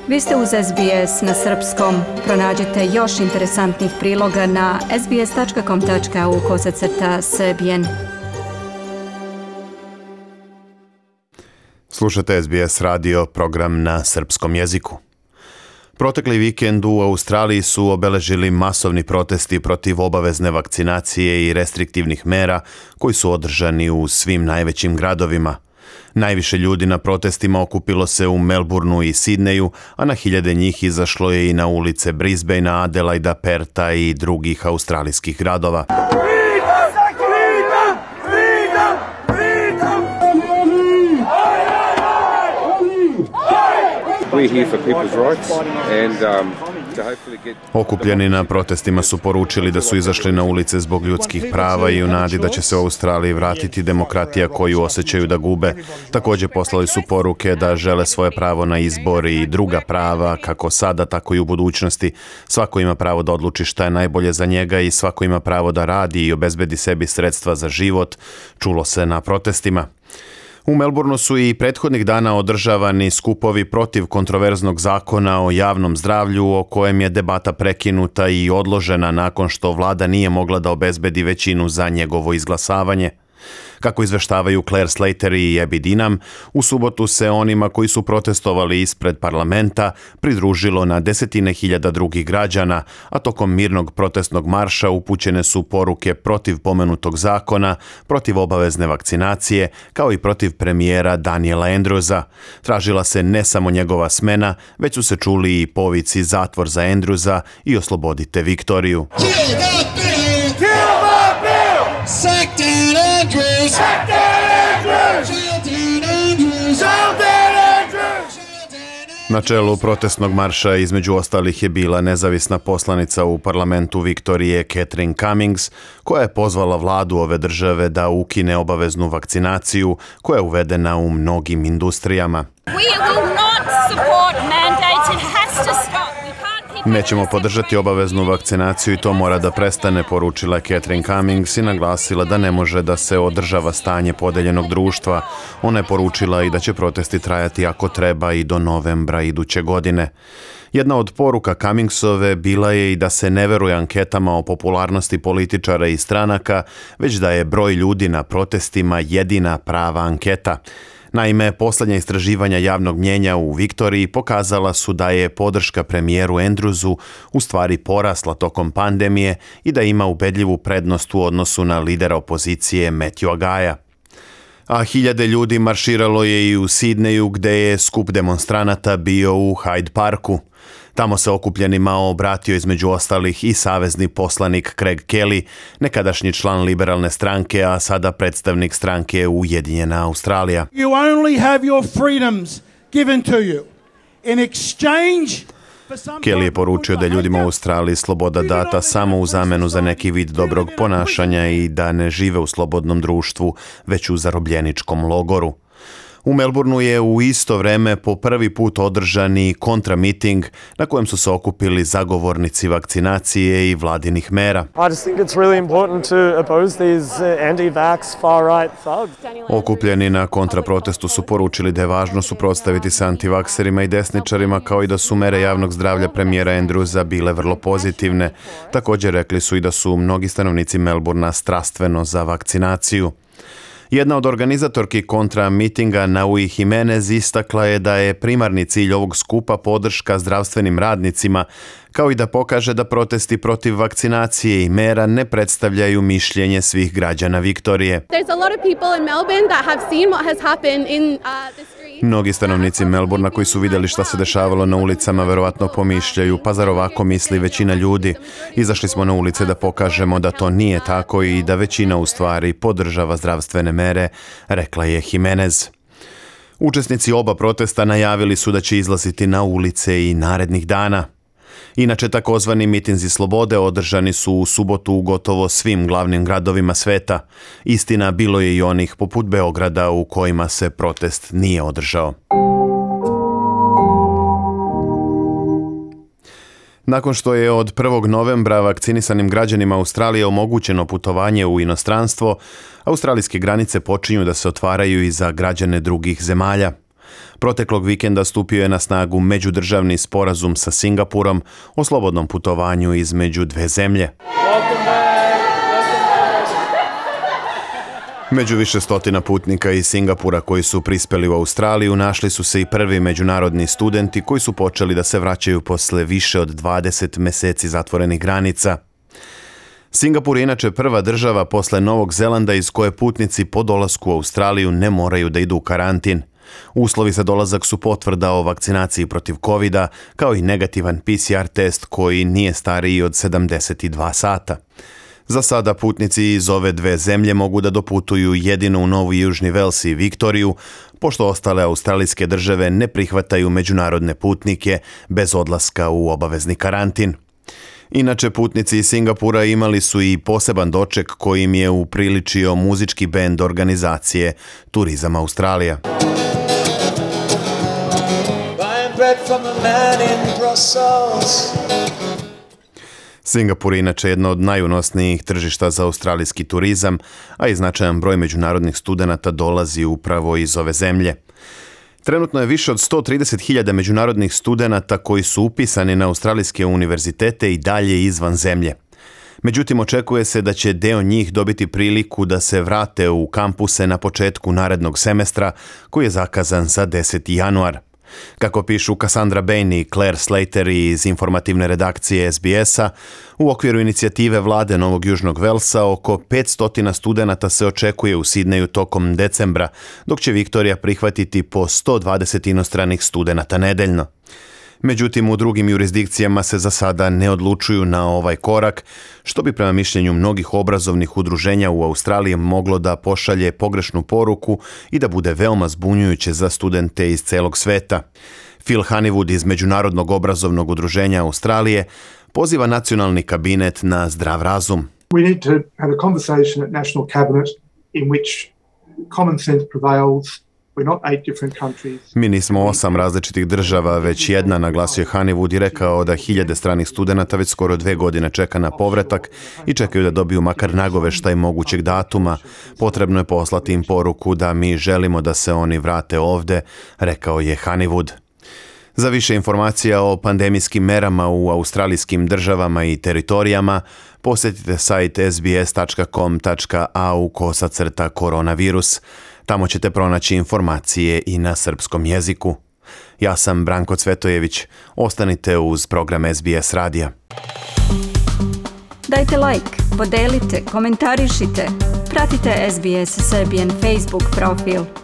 Vi ste uz SBS na srpskom. Pronađite još interesantnih priloga na sbs.com.au/srbijen. Slušate SBS radio, program na srpskom jeziku. Protekli vikend u Australiji su obeležili masovni protesti protiv obavezne vakcinacije i restriktivnih mera koji su održani u svim najvećim gradovima. Najviše ljudi na protestima okupilo se u Melbourneu i Sidneju, a na hiljade njih izašlo je i na ulice Brisbanea, Adelaida, Perta i drugih australijskih gradova. Okupljeni na protestima su poručili da su izašli na ulice zbog ljudskih prava i u nadi da će se u Australiji vratiti demokratija koju osjećaju da gube. Također poslali su poruke da žele svoje pravo na izbor i druga prava, kako sada, tako i u budućnosti. Svako ima pravo da odluči šta je najbolje za njega i svako ima pravo da radi i obezbedi sebi sredstva za život, čulo se na protestima. U Melbourneu su i prethodnih dana održavani skupovi protiv kontroverznog zakona o javnom zdravlju o kojem je debata prekinuta i odložena nakon što vlada nije mogla da obezbedi većinu za njegovo izglasavanje. Kako izveštavaju Claire Slater i Abby Dinham, u subotu se onima koji su protestovali ispred parlamenta pridružilo na desetine hiljada drugih građana, a tokom mirnog protestnog marša upućene su poruke protiv pomenutog zakona, protiv obavezne vakcinacije, kao i protiv premijera Daniela Andrewsa. Tražila se ne samo njegova smena, već su se čuli i povici zatvor za Andrewsa i oslobodite Viktoriju. Sack down Andrews! Sack down Andrews! Sack down Andrews! Na čelu protestnog marša između ostalih je bila nezavisna poslanica u parlamentu Viktorije Catherine Cummings, koja je pozvala vladu ove države da ukine obaveznu vakcinaciju koja je uvedena u mnogim industrijama. Nećemo podržati obaveznu vakcinaciju i to mora da prestane, poručila Catherine Cummings i naglasila da ne može da se održava stanje podeljenog društva. Ona je poručila i da će protesti trajati ako treba i do novembra iduće godine. Jedna od poruka Cummingsove bila je i da se ne veruje anketama o popularnosti političara i stranaka, već da je broj ljudi na protestima jedina prava anketa. Naime, posljednja istraživanja javnog mnjenja u Viktoriji pokazala su da je podrška premijeru Andrewsu u stvari porasla tokom pandemije i da ima ubedljivu prednost u odnosu na lidera opozicije Matthewa Gaja. A hiljade ljudi marširalo je i u Sidneju, gde je skup demonstranata bio u Hyde Parku. Tamo se okupljenima obratio između ostalih i savezni poslanik Craig Kelly, nekadašnji član liberalne stranke, a sada predstavnik stranke Ujedinjena Australija. You only have your freedoms given to you. In exchange Kelly je poručio da je ljudima u Australiji sloboda data samo u zamenu za neki vid dobrog ponašanja i da ne žive u slobodnom društvu, već u zarobljeničkom logoru. U Melbourneu je u isto vreme po prvi put održani kontramiting na kojem su se okupili zagovornici vakcinacije i vladinih mera. Okupljeni na kontraprotestu su poručili da je važno suprotstaviti se antivakserima i desničarima, kao i da su mere javnog zdravlja premijera Andrewsa bile vrlo pozitivne. Također rekli su i da su mnogi stanovnici Melbournea strastveno za vakcinaciju. Jedna od organizatorki kontra mitinga, Naui Jimenez, istakla je da je primarni cilj ovog skupa podrška zdravstvenim radnicima, kao i da pokaže da protesti protiv vakcinacije i mera ne predstavljaju mišljenje svih građana Viktorije. Mnogi stanovnici Melbournea koji su vidjeli šta se dešavalo na ulicama verovatno pomišljaju, pa zar ovako misli većina ljudi? Izašli smo na ulice da pokažemo da to nije tako i da većina u stvari podržava zdravstvene mere, rekla je Jimenez. Učesnici oba protesta najavili su da će izlaziti na ulice i narednih dana. Inače, takozvani mitinzi slobode održani su u subotu u gotovo svim glavnim gradovima sveta. Istina, bilo je i onih poput Beograda u kojima se protest nije održao. Nakon što je od 1. novembra vakcinisanim građanima Australije omogućeno putovanje u inostranstvo, australijske granice počinju da se otvaraju i za građane drugih zemalja. Proteklog vikenda stupio je na snagu međudržavni sporazum sa Singapurom o slobodnom putovanju između dve zemlje. Među više stotina putnika iz Singapura koji su prispeli u Australiju našli su se i prvi međunarodni studenti koji su počeli da se vraćaju posle više od 20 meseci zatvorenih granica. Singapur je inače prva država posle Novog Zelanda iz koje putnici po dolasku u Australiju ne moraju da idu u karantin. Uslovi za dolazak su potvrda o vakcinaciji protiv COVID-a, kao i negativan PCR test koji nije stariji od 72 sata. Za sada putnici iz ove dve zemlje mogu da doputuju jedino u Novi Južni Vels i Viktoriju, pošto ostale australijske države ne prihvataju međunarodne putnike bez odlaska u obavezni karantin. Inače, putnici iz Singapura imali su i poseban doček koji im je upriličio muzički bend organizacije Turizam Australija. Singapur je inače jedno od najunosnijih tržišta za australijski turizam, a i značajan broj međunarodnih studenata dolazi upravo iz ove zemlje. Trenutno je više od 130.000 međunarodnih studenata koji su upisani na australijske univerzitete i dalje izvan zemlje. Međutim, očekuje se da će deo njih dobiti priliku da se vrate u kampuse na početku narednog semestra, koji je zakazan za 10. januar. Kako pišu Cassandra Bain i Claire Slater iz informativne redakcije SBS-a, u okviru inicijative vlade Novog Južnog Velsa oko 500 studenata se očekuje u Sidneju tokom decembra, dok će Viktorija prihvatiti po 120 inostranih studenata nedeljno. Međutim, u drugim jurisdikcijama se za sada ne odlučuju na ovaj korak, što bi prema mišljenju mnogih obrazovnih udruženja u Australiji moglo da pošalje pogrešnu poruku i da bude veoma zbunjujuće za studente iz celog sveta. Phil Honeywood iz Međunarodnog obrazovnog udruženja Australije poziva nacionalni kabinet na zdrav razum. We need to have a conversation at National Cabinet in which common sense prevails. Mi nismo 8 različitih država, već jedna, naglasio je Honeywood i rekao da hiljade stranih studenata već skoro 2 godine čeka na povratak i čekaju da dobiju makar nagoveštaj mogućeg datuma. Potrebno je poslati im poruku da mi želimo da se oni vrate ovde, rekao je Honeywood. Za više informacija o pandemijskim merama u australijskim državama i teritorijama, posjetite sajt sbs.com.au/koronavirus. Tamo ćete pronaći informacije i na srpskom jeziku. Ja sam Branko Cvetojević. Ostanite uz program SBS radija. Dajte like, podelite, komentarišite. Pratite SBS Serbian Facebook profil.